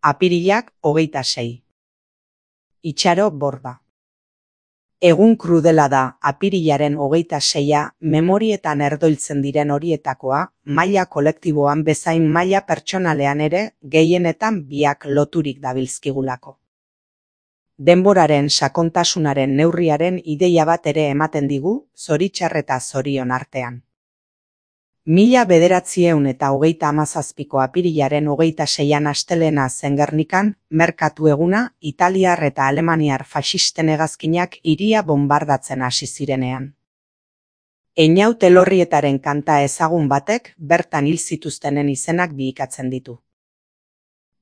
Apirilak 26. Itxaro borda. Egun krudela da apirilaren 26a memorietan erdoiltzen diren horietakoa, maila kolektiboan bezain maila pertsonalean ere gehienetan biak loturik dabilzkigulako. Denboraren sakontasunaren neurriaren ideia bat ere ematen digu, zoritxar eta zorion artean. 1927ko apirilaren 26an astelena zen Gernikan, merkatu eguna, italiar eta alemaniar faxisten hegazkinak hiria bonbardatzen hasi zirenean. Einaut Elorrietaren kanta ezagun batek bertan hil zituztenen izenak bihikatzen ditu.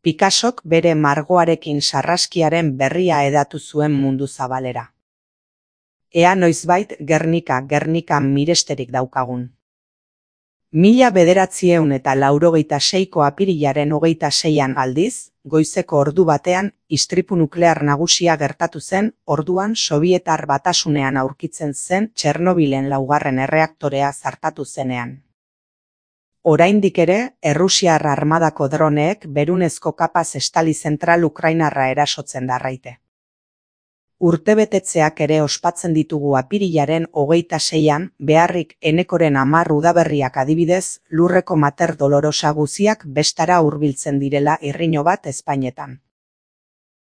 Picassok bere margoarekin sarraskiaren berria hedatu zuen mundu zabalera. Ea noizbait Gernika miresterik daukagun. 1986ko apirilaren 26an aldiz, goizeko ordu batean, istripu nuklear nagusia gertatu zen, orduan Sobietar Batasunean aurkitzen zen Txernobilen 2. erreaktorea zartatu zenean. Oraindik ere, Errusiar armadako droneek berunezko kapaz estali zentral ukrainarra erasotzen darraite. Urtebetetzeak ere ospatzen ditugu apirilaren 26an, beharrik Enekoren 10 udaberriak adibidez, lurreko Mater Dolorosa guziak bestara hurbiltzen direla irriño bat ezpainetan.